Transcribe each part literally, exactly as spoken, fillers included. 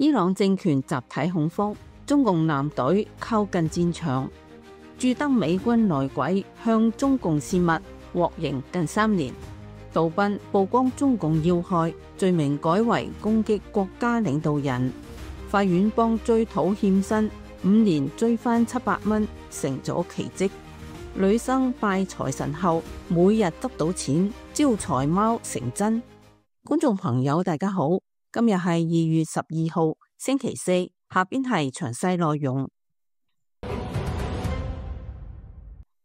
伊朗政權集體恐慌，中共艦隊靠近戰場，駐德美軍內鬼向中共泄密，獲刑近三年。杜賓曝光中共要害，罪名改為攻擊國家領導人。法院幫追討欠薪，五年追翻七百蚊，成咗奇蹟。女生拜財神後，每日得到錢，招財貓成真。觀眾朋友大家好，今日係二月十二號星期四，下邊係詳細內容。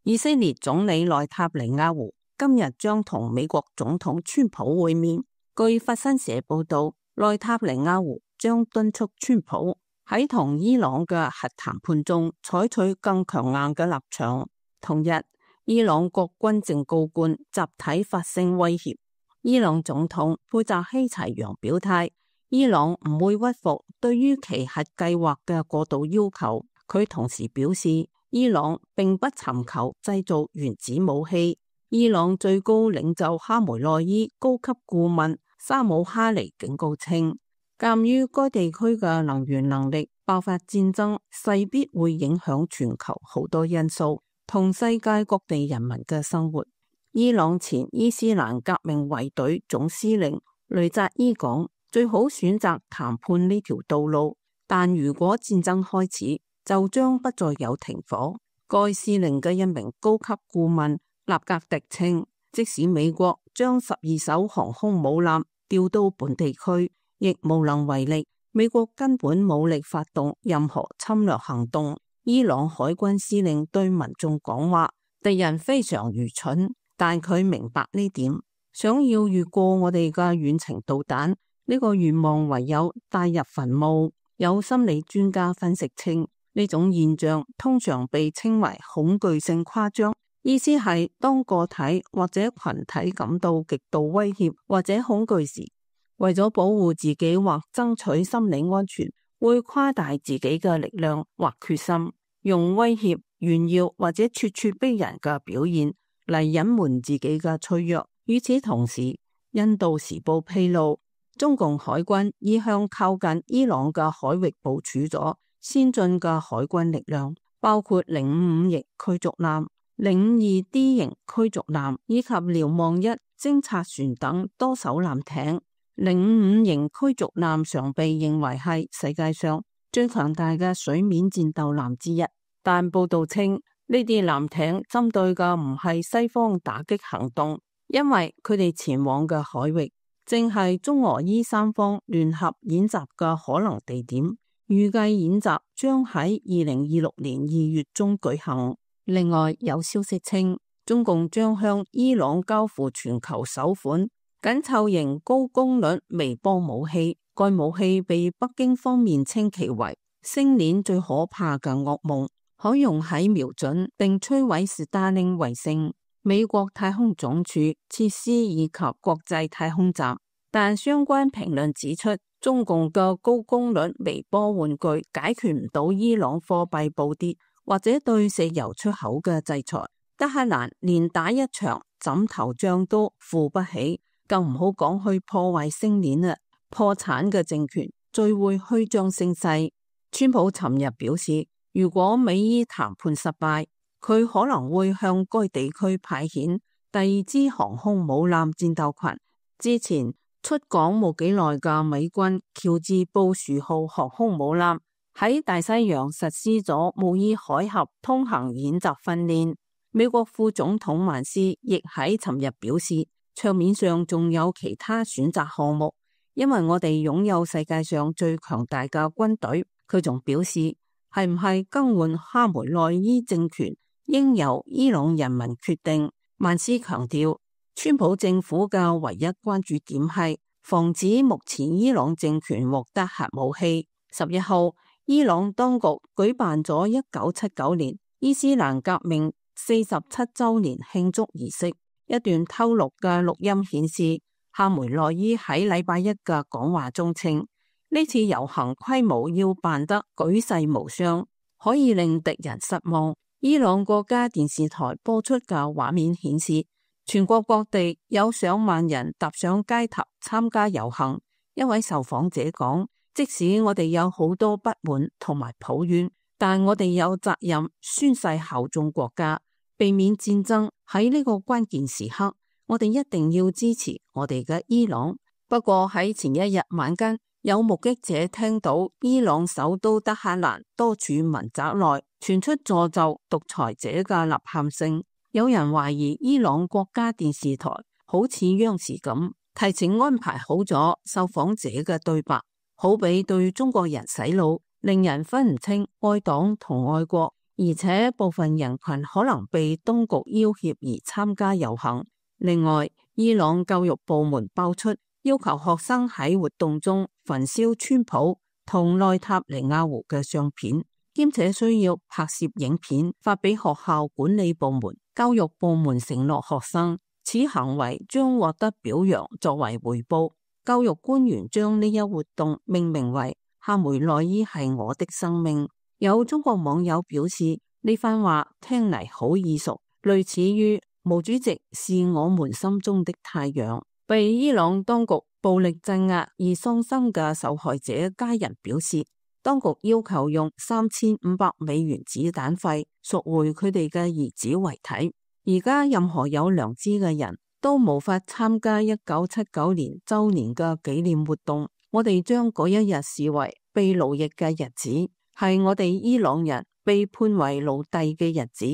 以色列總理內塔尼亞胡今日將同美國總統川普會面。據法新社報道，內塔尼亞胡將敦促川普喺同伊朗嘅核談判中採取更強硬嘅立場。同日，伊朗國軍正高官集體發聲威脅。伊朗總統佩澤希齊揚表態，伊朗唔會屈服對於其核計劃嘅過度要求。佢同時表示，伊朗並不尋求製造原子武器。伊朗最高領袖哈梅內伊高級顧問沙姆哈尼警告稱，鑒於該地區嘅能源能力，爆發戰爭勢必會影響全球好多因素同世界各地人民嘅生活。伊朗前伊斯蘭革命衛隊總司令雷扎伊講，最好選擇談判呢條道路，但如果戰爭開始，就將不再有停火。該司令嘅一名高級顧問納格迪稱，即使美國將十二艘航空母艦調到本地區，亦無能為力。美國根本冇力發動任何侵略行動。伊朗海軍司令對民眾講話，敵人非常愚蠢，但佢明白呢點。想要越過我哋嘅遠程導彈，呢個願望唯有帶入墳墓。有心理專家分析稱，呢種現象通常被稱為恐懼性誇張，意思係當個體或者群體感到極度威脅或者恐懼時，為咗保護自己或爭取心理安全，會誇大自己嘅力量或決心，用威脅、炫耀或者咄咄逼人嘅表現嚟隱瞞自己嘅脆弱。與此同時，印度時報披露，中共海軍已向靠近伊朗嘅海域部署咗先進嘅海軍力量，包括零五五型驅逐艦、零五二 D 型驅逐艦以及瞭望一偵察船等多艘艦艇。零五五型驅逐艦常被認為係世界上最強大嘅水面戰鬥艦之一，但報道稱呢啲艦艇針對嘅唔係西方打擊行動，因為佢哋前往嘅海域正係中俄伊三方聯合演習嘅可能地點。預計演習將喺二零二六年二月中舉行。另外有消息稱，中共將向伊朗交付全球首款緊湊型高功率微波武器，該武器被北京方面稱其為星鏈最可怕嘅噩夢，可用喺瞄準並摧毀史達寧衛星、美國太空總署設施以及國際太空站。但相關評論指出，中共嘅高功率微波玩具解決唔到伊朗貨幣暴跌或者對石油出口嘅制裁。德黑蘭連打一場枕頭仗都付不起，更唔好講去破壞星鏈啦。破產嘅政權最會虛張聲勢。川普尋日表示，如果美伊談判失敗，佢可能會向該地區派遣第二支航空母艦戰鬥群。之前出港冇幾耐嘅美軍喬治布殊號航空母艦喺大西洋實施咗模擬海峽通行演習訓練。美國副總統萬斯亦喺尋日表示，桌面上仲有其他選擇項目，因為我哋擁有世界上最強大嘅軍隊。佢仲表示，係唔係更換哈梅內伊政權，應由伊朗人民決定。萬斯強調，川普政府嘅唯一關注點係防止目前伊朗政權獲得核武器。十一號，伊朗當局舉辦咗一九七九年伊斯蘭革命四十七周年慶祝儀式。一段偷錄嘅錄音顯示，哈梅內伊喺禮拜一嘅講話中稱，呢次遊行規模要辦得舉世無雙，可以令敵人失望。伊朗國家電視台播出嘅畫面顯示，全國各地有上萬人踏上街頭參加遊行。一位受訪者講，即使我哋有好多不滿同埋抱怨，但我哋有責任宣誓效忠國家，避免戰爭。喺呢個關鍵時刻，我哋一定要支持我哋嘅伊朗。不過喺前一日晚間，有目擊者聽到伊朗首都德黑蘭多處民宅內傳出詛咒獨裁者嘅吶喊聲。有人懷疑伊朗國家電視台好似央視咁，提前安排好咗受訪者嘅對白，好比對中國人洗腦，令人分唔清愛黨同愛國。而且部分人群可能被當局要挾而參加遊行。另外，伊朗教育部門爆出要求學生喺活動中焚燒川普同內塔尼亞胡嘅相片，兼且需要拍攝影片發俾學校管理部門。教育部門承諾學生此行為將獲得表揚作為回報。教育官員將呢一活動命名為夏梅內伊係我的生命。有中國網友表示，呢番話聽嚟好耳熟，類似於毛主席是我們心中的太陽。被伊朗當局暴力鎮壓而喪生嘅受害者家人表示，當局要求用三千五百美元子彈費贖回佢哋嘅兒子遺體。而家任何有良知嘅人都無法參加一九七九年周年嘅紀念活動。我哋將嗰一日視為被奴役嘅日子，係我哋伊朗人被判為奴隸嘅日子。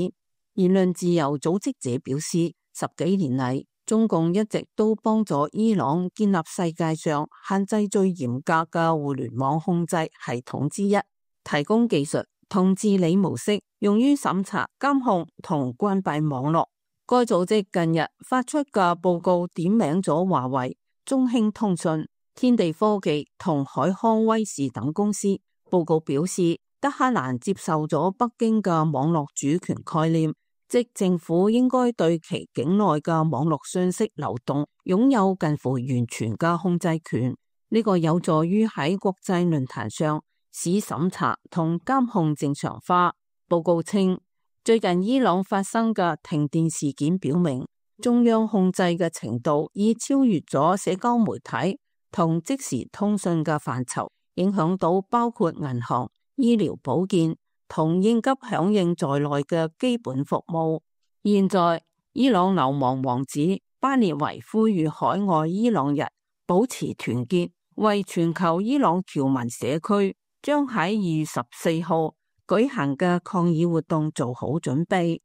言論自由組織者表示，十幾年嚟，中共一直都幫助伊朗建立世界上限制最嚴格嘅互聯網控制系統之一，提供技術同治理模式，用於審查、監控同關閉網絡。該組織近日發出嘅報告點名咗華為、中興通訊、天地科技同海康威視等公司。報告表示，德黑蘭接受咗北京嘅網絡主權概念，即政府應該對其境內嘅網絡信息流動擁有近乎完全嘅控制權。呢個有助於喺國際論壇上使審查同監控正常化。報告稱，最近伊朗發生嘅停電事件表明，中央控制嘅程度已超越咗社交媒體同即時通訊嘅範疇，影響到包括銀行、醫療保健同應急響應在內嘅基本服務。現在，伊朗流亡王子巴列維呼籲海外伊朗人保持團結，為全球伊朗僑民社區將喺二月十四號舉行嘅抗議活動做好準備。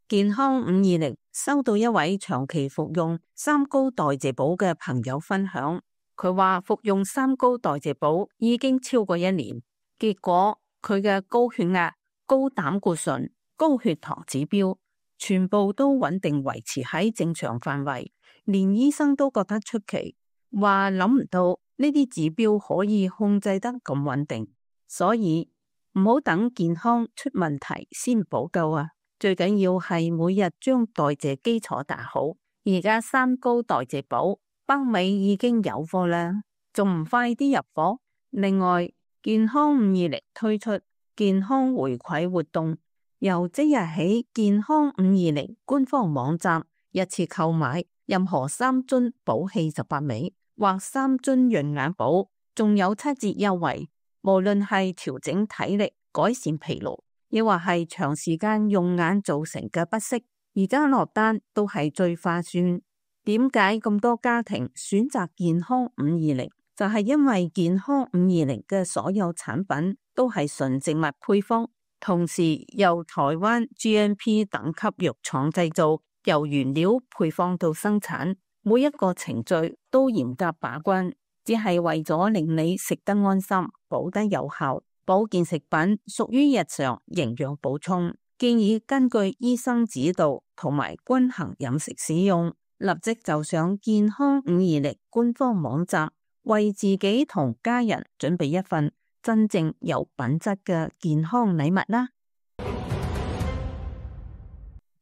健康五二零收到一位長期服用三高代謝寶嘅朋友分享，佢話服用三高代謝寶已經超過一年，結果佢嘅高血壓、高膽固醇、高血糖指標全部都穩定維持喺正常範圍，連醫生都覺得出奇，話諗唔到呢啲指標可以控制得咁穩定。所以唔好等健康出問題先補救啊！最緊要係每日將代謝基礎打好。而家三高代謝寶北美已經有貨啦，仲唔快啲入貨？另外，健康五二零推出健康回饋活動，由即日起，健康五二零官方網站一次購買任何三樽寶氣十八味或三樽潤眼寶，仲有七折優惠。無論係調整體力、改善疲勞，亦或係長時間用眼造成嘅不適，而家落單都係最划算。點解咁多家庭選擇健康五二零？就係因為健康五二零嘅所有產品都係純植物配方，同時由台灣 G M P 等級藥廠製造，由原料配方到生產，每一個程序都嚴格把關，只係為咗令你食得安心、保得有效。保健食品屬於日常營養補充，建議根據醫生指導同埋均衡飲食使用。立即就上健康五二零官方網站，為自己同家人準備一份真正有品質嘅健康禮物啦！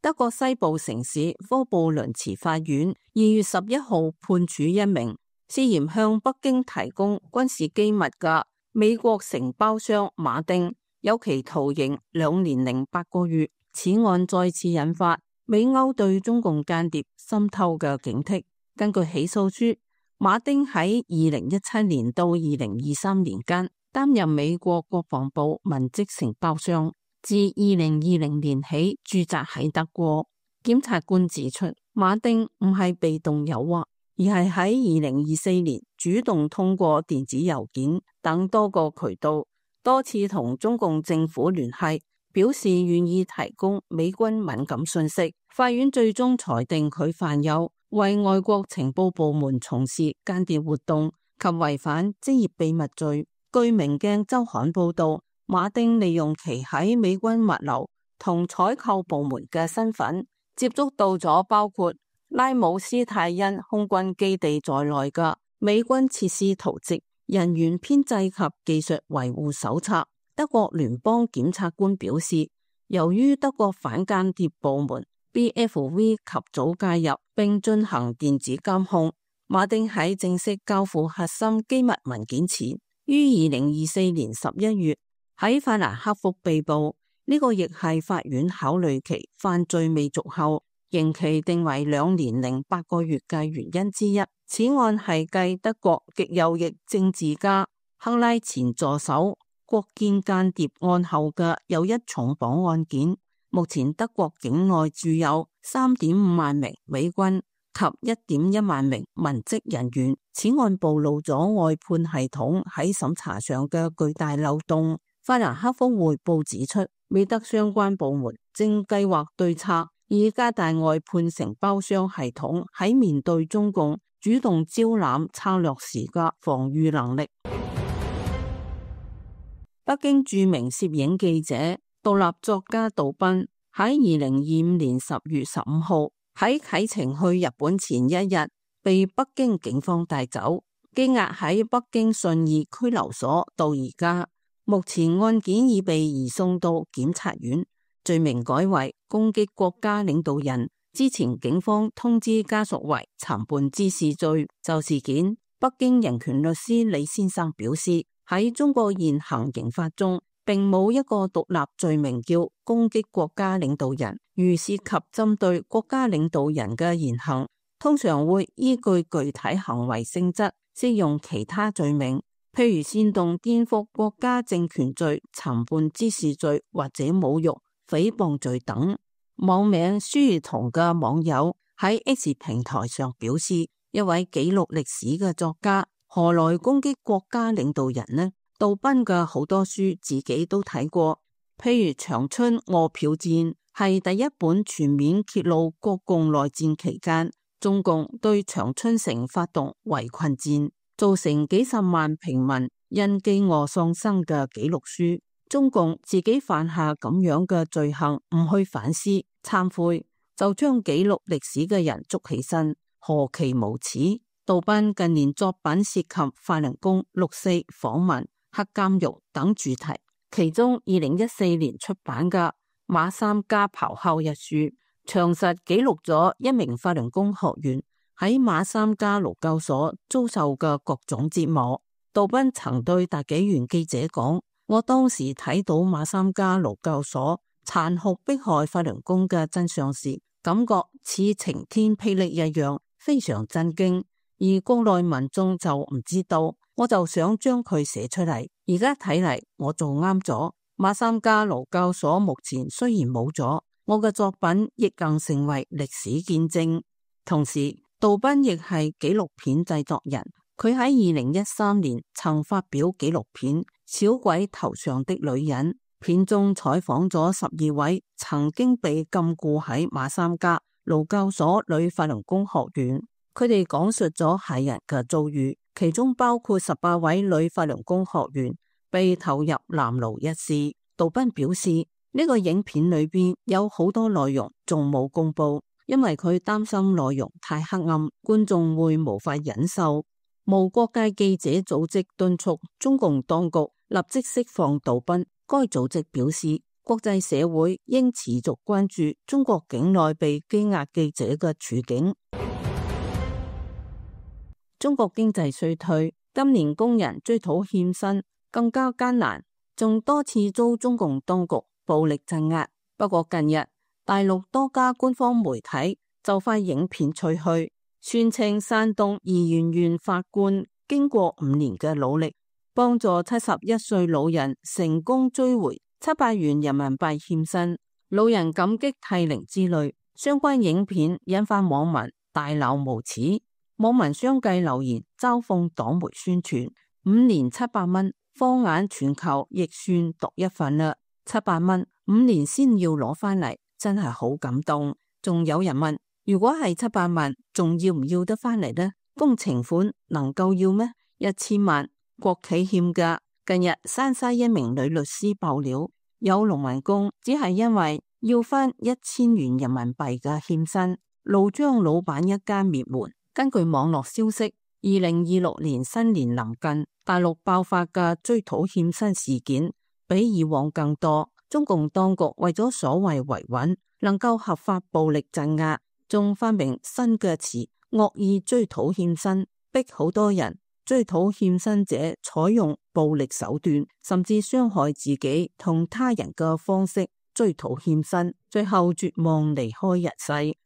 德國西部城市科布倫茨法院二月十一號判處一名涉嫌向北京提供軍事機密嘅美國承包商馬丁有期徒刑兩年零八個月。此案再次引發美歐對中共間諜滲透嘅警惕。根據起訴書，馬丁喺二零一七年到二零二三年間擔任美國國防部文職承包商，自二零二零年起駐紮喺德國。檢察官指出，馬丁唔係被動誘惑，而係喺二零二四年主動通過電子郵件等多個渠道，多次同中共政府聯繫，表示願意提供美軍敏感信息。法院最終裁定佢犯有為外國情報部門從事間諜活動及違反職業秘密罪。據明鏡週刊報道，馬丁利用其喺美軍物流同採購部門嘅身份，接觸到咗包括拉姆斯泰因空軍基地在內嘅美軍設施圖則、人員編制及技術維護手冊。德國聯邦檢察官表示，由於德國反間諜部門 B F V 及早介入並進行電子監控，馬丁喺正式交付核心機密文件前，於二零二四年十一月喺法蘭克福被捕。呢、這個亦係法院考慮其犯罪未續後刑期定為兩年零八個月嘅原因之一。此案係繼德國極右翼政治家克拉前助手國建間諜案後嘅又一重磅案件。目前德國境內駐有三點五萬名美軍及一點一萬名文職人員。此案暴露咗外判系統喺審查上嘅巨大漏洞。法蘭克福匯報指出，美德相關部門正計劃對策，以加大外判承包商系統喺面對中共主動招攬策略時嘅防禦能力。北京著名攝影記者、獨立作家杜斌喺二零二五年十月十五號喺啟程去日本前一日被北京警方帶走，羈押喺北京信義拘留所到而家。目前案件已被移送到檢察院，罪名改為攻擊國家領導人。之前警方通知家屬為參半滋事罪。就事件，北京人權律師李先生表示，喺中國現行刑法中，並冇一個獨立罪名叫攻擊國家領導人。如涉及針對國家領導人嘅言行，通常會依據具體行為性質適用其他罪名，譬如煽動顛覆國家政權罪、參半滋事罪或者侮辱、誹謗罪等。網名書如同嘅網友喺 X 平台上表示，一位記錄歷史嘅作家何來攻擊國家領導人呢？杜斌嘅好多書自己都睇過，譬如《長春餓殍戰》係第一本全面揭露國共內戰期間中共對長春城發動圍困戰，造成幾十萬平民因飢餓喪生嘅紀錄書。中共自己犯下咁樣嘅罪行，唔去反思懺悔，就將記錄歷史嘅人捉起身，何其無恥！杜斌近年作品涉及法輪功、六四、訪問、黑監獄等主題，其中二零一四年出版嘅《馬三家咆哮》一書，詳實記錄咗一名法輪功學員喺馬三家勞教所遭受嘅各種折磨。杜斌曾對大紀元記者講，我當時睇到馬三家勞教所殘酷迫害法輪功嘅真相時，感覺似晴天霹靂一樣，非常震驚。而國內民眾就唔知道，我就想將佢寫出嚟。而家睇嚟，我做啱咗。馬三家勞教所目前雖然冇咗，我嘅作品亦更成為歷史見證。同時，杜斌亦係紀錄片製作人，佢喺二零一三年曾發表紀錄片《小鬼頭上的女人》，片中採訪咗十二位曾經被禁錮喺馬三家勞教所女法輪功學員，佢哋講述咗駭人嘅遭遇，其中包括十八位女法輪功學員被投入南牢一事。杜斌表示，呢、這個影片裏邊有好多內容仲冇公布，因為佢擔心內容太黑暗，觀眾會無法忍受。無國界記者組織敦促中共當局立即釋放杜斌。該組織表示，國際社會應持續關注中國境內被羈押記者嘅處境。中國經濟衰退，今年工人追討欠薪更加艱難，仲多次遭中共當局暴力鎮壓。不過近日，大陸多家官方媒體就快影片吹噓，宣稱山東怡園縣法官經過五年嘅努力，幫助七十一歲老人成功追回七百元人民幣欠薪，老人感激涕零之類。相關影片引發網民大鬧無恥，網民相繼留言嘲諷黨媒宣傳。五年七百蚊，放眼全球亦算獨一份啦。七百蚊五年先要攞返嚟，真係好感動。仲有人問，如果係七百萬，仲要唔要得返嚟呢？工程款能夠要咩？一千萬國企欠㗎。近日山西一名女律師爆料，有農民工只係因為要返一千元人民幣嘅欠薪，怒將老闆一家滅門。根據網絡消息，二零二六年新年臨近，大陸爆發嘅追討欠薪事件比以往更多。中共當局為咗所謂維穩，能夠合法暴力鎮壓，仲發明新嘅詞惡意追討欠薪，逼好多人追討欠薪者採用暴力手段，甚至傷害自己同他人嘅方式追討欠薪，最後絕望離開人世。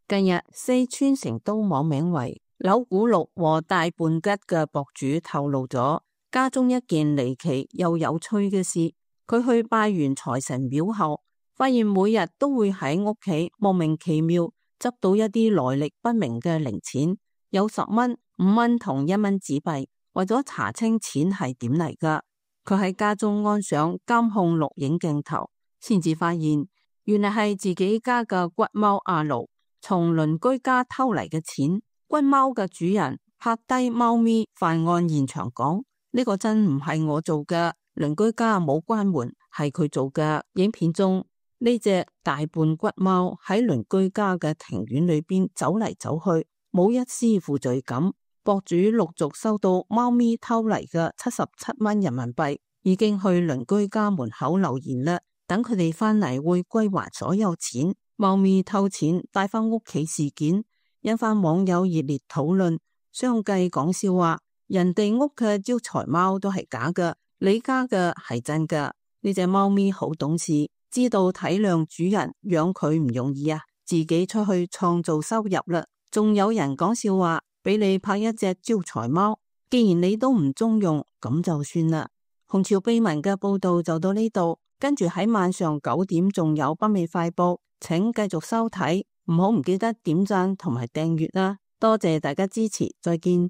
近日，四川成都網名為柳古六和大胖吉嘅博主透露咗家中一件離奇又有趣嘅事。佢去拜完財神廟後，發現每日都會喺屋企莫名其妙執到一啲來歷不明嘅零錢，有十蚊、五蚊同一蚊紙幣。為咗查清錢係點嚟㗎，佢喺家中安上監控錄影鏡頭，先至發現原來係自己家嘅骨貓阿盧從鄰居家偷嚟嘅錢。骨貓嘅主人拍低貓咪犯案現場講：呢個真唔係我做嘅，鄰居家冇關門，係佢做嘅。影片中呢隻大胖骨貓喺鄰居家嘅庭院裏邊走嚟走去，冇一絲負罪感。博主陸續收到貓咪偷嚟嘅七十七蚊人民幣，已經去鄰居家門口留言啦，等佢哋返嚟會歸還所有錢。貓咪偷錢帶返屋企事件引發網友熱烈討論，相繼講笑話：人哋屋嘅招財貓都係假嘅，你家嘅係真嘅。呢隻貓咪好懂事，知道體諒主人，養佢唔容易啊，自己出去創造收入啦。仲有人講笑話，俾你拍一隻招財貓，既然你都唔中用，咁就算啦。紅潮秘聞嘅報道就到呢度，跟住喺晚上九點仲有北美快報，請繼續收睇，唔好唔記得點讚同埋訂閱啦，多謝大家支持，再見。